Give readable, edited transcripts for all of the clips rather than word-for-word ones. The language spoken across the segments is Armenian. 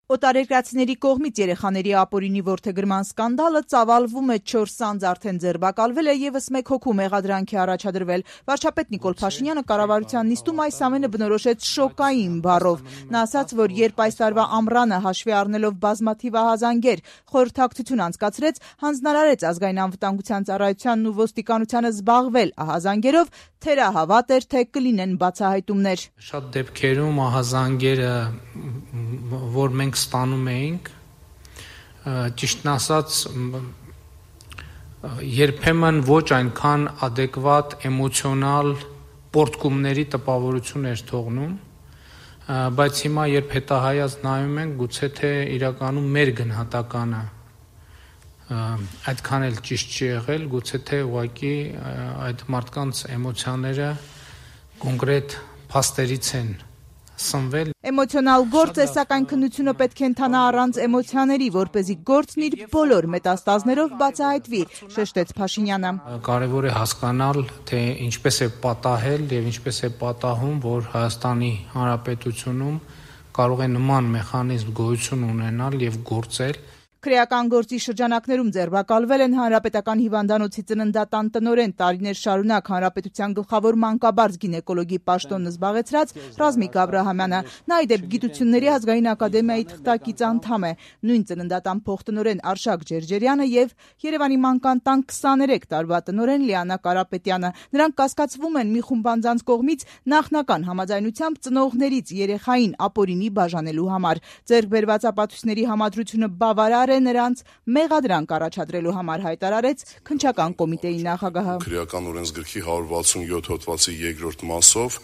Օտարերկրացիների կողմից երեխաների ապօրինի որդեգրման սկանդալը ծավալվում է 4 անձ արդեն ձերբակալվել է եւս 1 հոգու մեղադրանքի առաջադրվել։ Վարչապետ Նիկոլ Փաշինյանը կառավարության նիստում այս ամենը բնորոշեց շոկային բառով։ Նա ասաց, որ երբ այս տարվա ամռանը հաշվի առնելով բազմաթիվ ահազանգեր խորհրդակցություն անցկացրեց, հանձնարարեց ազգային անվտանգության ծառայությանն ու ոստիկանությանը զբաղվել ահազանգերով, թերահավատ էր, թե կլինեն բացահայտումներ։ Շատ դեպքերում ահազանգերը, որ մենք ստանում էինք, ճիշտն ասած, երբեմն ոչ այնքան adekvat էմոցիոնալ պորտկումների տպավորություն էր թողնում, բայց հիմա երբ հետահայաց նայում ենք, գուցե թե իրականում մեր գնահատականը այդքան էլ ճիշտ չի եղել, գուցե թե ուղղակի այդ մարդկանց էմոցիաները կոնկրետ փաստերից են սնվել։ Էմոցիոնալ գործ է, սակայն քննությունը պետք է ընթանա առանց էմոցիաների, որպեսզի գործն իր բոլոր մետաստազներով բացահայտվի, շեշտեց Փաշինյանը։ Կարևոր է հասկանալ, թե ինչպես է պատահել եւ ինչպես է պատահում, որ Հայաստանի Հանրապետությունում կարող է նման մեխանիզմ գոյություն ունենալ եւ գործել։ Քրեական գործի շրջանակներում ձերբակալվել են Հանրապետական հիվանդանոցի ծննդատան տնօրեն, տարիներ շարունակ հանրապետության գլխավոր մանկաբարձ գինեկոլոգի պաշտոնը զբաղեցրած Ռազմիկ Աբրահամյանը։ Նա ի դեպ Գիտությունների ազգային ակադեմիայի թղթակից անդամ է, նույն ծննդատան փոխտնօրեն Արշակ Ջերջերյանը եւ Երևանի մանկան տան 23 տարվա տնօրեն Լիանա Կարապետյանը։ Նրանք կասկածվում են մի խումբ անձանց կողմից նախնական համաձայնությամբ ծնողներից երեխային ապօրինի բաժանելու համար։ Ձեռք բերված ապացույցների համադրությունը բավարար է նրանց մեղադրանք առաջադրելու համար, հայտարարեց քննչական կոմիտեի նախագահը։ Քրեական օրենսգրքի 167 հոդվածի 2-րդ մասով,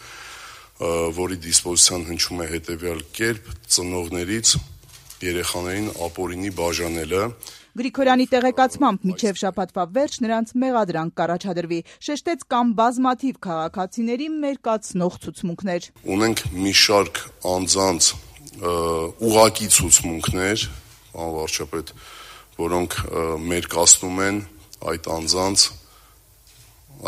որի դիսպոզիցիան հնչում է հետևյալ կերպ՝ ծնողներից երեխաներին ապօրինի բաժանելը։ Գրիգորյանի տեղեկացմամբ մինչև շաբաթվա վերջ նրանց մեղադրանք կառաջադրվի, շեշտեց կան բազմաթիվ քաղաքացիների մերկացնող ցուցմունքներ։ Ունենք մի շարք անձանց ուղղակի ցուցմունքներ, վարչապետ, որոնք մերկացնում են այդ անձանց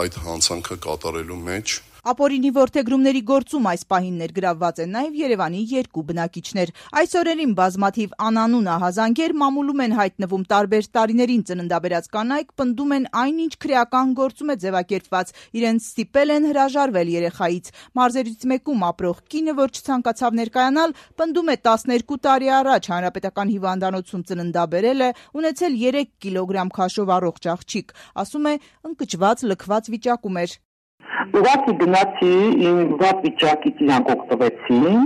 այդ հանցանքը կատարելու մեջ։ Ապօրինի որդեգրումների գործում այս պահին ներգրավված են նաև Երևանի 2 բնակիչներ։ Այս օրերին բազմաթիվ անանուն ահազանգեր մամուլում են հայտնվում, տարբեր տարիներին ծննդաբերած կանայք պնդում են այնինչ քրեական գործում է ձևակերպված, իրենց ստիպել են հրաժարվել երեխայից։ Մարզերից մեկում ապրող կինը, որ չցանկացավ ներկայանալ, պնդում է 12 տարի առաջ հանրապետական հիվանդանոցում ծննդաբերել է, ունեցել 3 կիլոգրամ քաշով առողջ աղջիկ, ասում է ընկճված, լքված վիճակում էր։ Ուղղակի գնացի իմ վատ վիճակից իրանք օգտվեցին,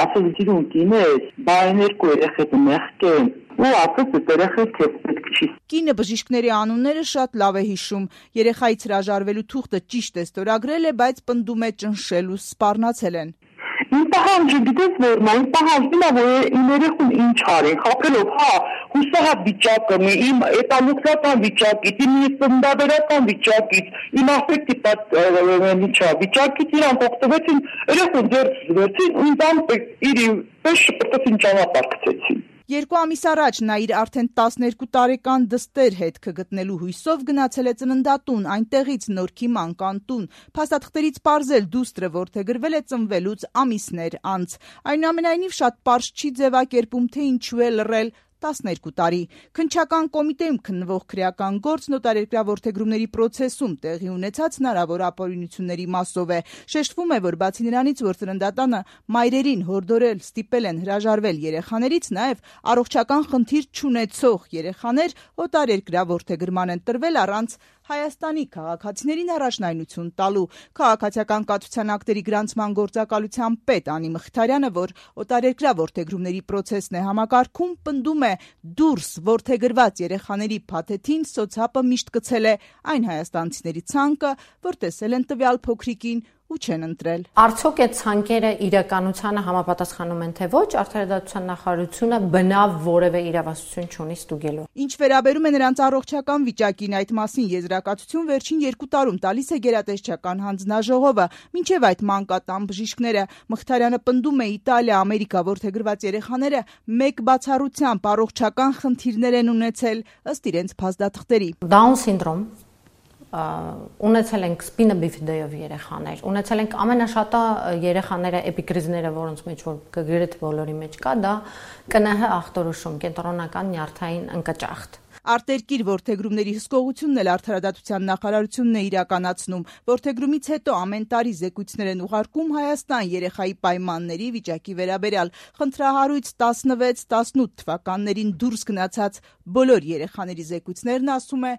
ասել իրուն կինես, բայ 2 երեխեք մեղք են, ու ասեց այդ երեխեք պետք չի։ Կինը բժիշկների անունները շատ լավ է հիշում, երեխայից հրաժարվելու թուղթը ճիշտ է ստորագրել է, բայց պնդում է ճնշել ու սպառնացել են։ Իմ պահանջը գիտես որն է, իմ պահանջն է, որ իմ երեխուն ինչ արեն, խաբելով, հուսահատ վիճակը, իմ էպալուկրական վիճակից, իմ ծննդաբերական վիճակից, իմ աֆեկտիվ վիճակից իրանք օգտվեցին, երեխուն ձեռք զվեցին, ու ինձ իր պես շպրտեցին ճանապարհ գցեցին։ 2 ամիս առաջ նա իր արդեն 12 տարեկան դստեր հետքը գտնելու հույսով գնացել է ծննդատուն, այնտեղից Նորքի մանկան տուն։ Փաստաթղթերից պարզել դուստրը որդեգրվել է ծնվելուց ամիսներ անց։ Այնուամենայնիվ շատ պարզ չի ձևակերպում, թե ինչու է լռել 12 տարի։ Քննչական կոմիտեում քննվող քրեական գործ նոտարերկրյա որդեգրումների պրոցեսում տեղի ունեցած հնարավոր ապօրինությունների մասով է։ Շեշտվում է, որ բացի նրանից, որ ծննդատանը մայրերին հորդորել, ստիպել են հրաժարվել երեխաներից, նաև առողջական խնդիր չունեցող երեխաներ օտարերկրյա որդեգրման են տրվել առանց Հայաստանի քաղաքացիներին առաջնայնություն տալու։ Քաղաքացիական կաթության ակտերի գրանցման գործակալության պետ Անի Մխիթարյանը, որ օտարերկրյա որդեգրումների պրոցեսն է համակարգում, պնդում է դուրս որդեգրված երեխաների փաթեթին սոցհապը միշտ գցել է այն հայաստանցիների ցանկը, որ տեսել են տվյալ փոքրիկին ու չեն ընտրել։ Արդյոք այդ ցանկերը իրականությանը համապատասխանում են թե ոչ, Արդարադատության նախարարությունը բնավ որևէ իրավասություն չունի ստուգելու։ Ինչ վերաբերում է նրանց առողջական վիճակին, այդ մասին եզրակացություն վերջին 2 տարում տալիս է գերատեսչական հանձնաժողովը, մինչև այդ մանկատան բժիշկները։ Մխիթարյանը պնդում է Իտալիա, Ամերիկա որդեգրված երեխաները մեկ բացառությամբ առողջական խնդիրներ են ունեցել ըստ իրենց փաստաթղթերի։ Down սինդրոմ ունեցել ենք spina bifida-ով երեխաներ, ունեցել ենք ամենաշատը երեխաները էպիկրիզները, որոնց մեջ որ գրեթե բոլորի մեջ կա, դա ԿՆՀ ախտորոշում, կենտրոնական նյարդային ընկճախտ։ Արտերկիր որդեգրումների հսկողությունն էլ Արդարադատության նախարարությունն է իրականացնում։ Որդեգրումից հետո ամեն տարի զեկույցներ են ուղարկում Հայաստան երեխայի պայմանների վիճակի վերաբերյալ։ Խնդրահարույց 16-18 թվականներին դուրս գնացած բոլոր երեխաների զեկույցներն, ասում է,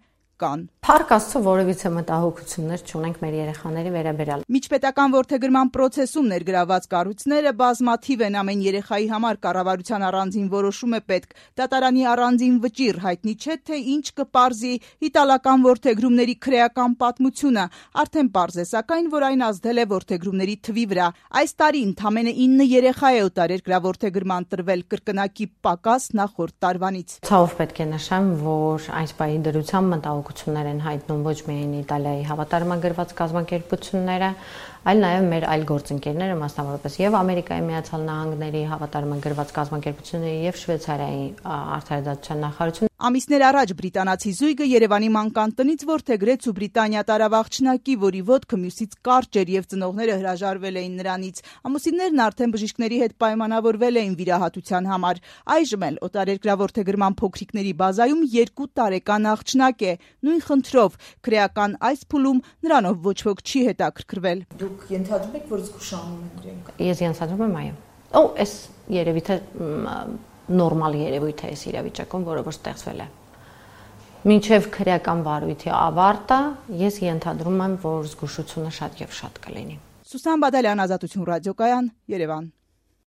կան։ Փառք Աստծո, որևիցե մտահոգություններ չունենք մեր երեխաների վերաբերյալ։ Միջպետական որդեգրման process-ում ներգրաված կառույցները բազմաթիվ են, ամեն երեխայի համար կառավարության առանձին որոշում է պետք։ Դատարանի առանձին վճիռ, հայտնի չէ, թե ինչ կպարզի իտալական որդեգրումների քրեական պատմությունը։ Արդեն պարզ է, սակայն, որ այն ազդել է որդեգրումների թվի վրա։ Այս տարի ընդամենը 9 երեխա է օտարերկրյա որդեգրման տրվել, կրկնակի պակաս նախորդ տարվանից։ Ցավով պետք է նշեմ, որ այս պահի դրությամբ մտահոգություններ են հայտնում ոչ միայն Իտալիայի հավատարմագրված կազմակերպությունները, այլ նաև մեր այլ գործընկերները, մասնավորապես եւ Ամերիկայի Միացյալ Նահանգների հավատարմագրված կազմակերպությունները եւ Շվեյցարիայի արդարադատության նախարարությունը։ Ամիսներ առաջ բրիտանացի զույգը Երևանի մանկան տնից որդեգրեց ու Բրիտանիա տարավ աղջնակի, որի ոտքը մյուսից կարճ էր եւ ծնողները հրաժարվել էին նրանից։ Ամուսիններն արդեն բժիշկների հետ պայմանավորվել էին վիրահատության համար։ Այժմ էլ օտարերկրյա որդեգրման փոքրիկների բազայում 2 տարեկան աղջնակ է։ Նույն խնդրով քրեական այս փուլում նրանով ոչ ոք չի հետաքրքրվել։ Դուք ենթադրում եք, որ զգուշանում են իրենք։ Ես ենթադրում եմ, այո։ Այս երևի թե նորմալ երևույթ է այս իրավիճակում, որը որ ստեղծվել է։ Մինչև քրեական վարույթի ավարտը ես ենթադրում եմ, որ զգուշությունը շատ եւ շատ կլինի։ Սուսան Բադալյան, Ազատություն ռադիոկայան, Երևան։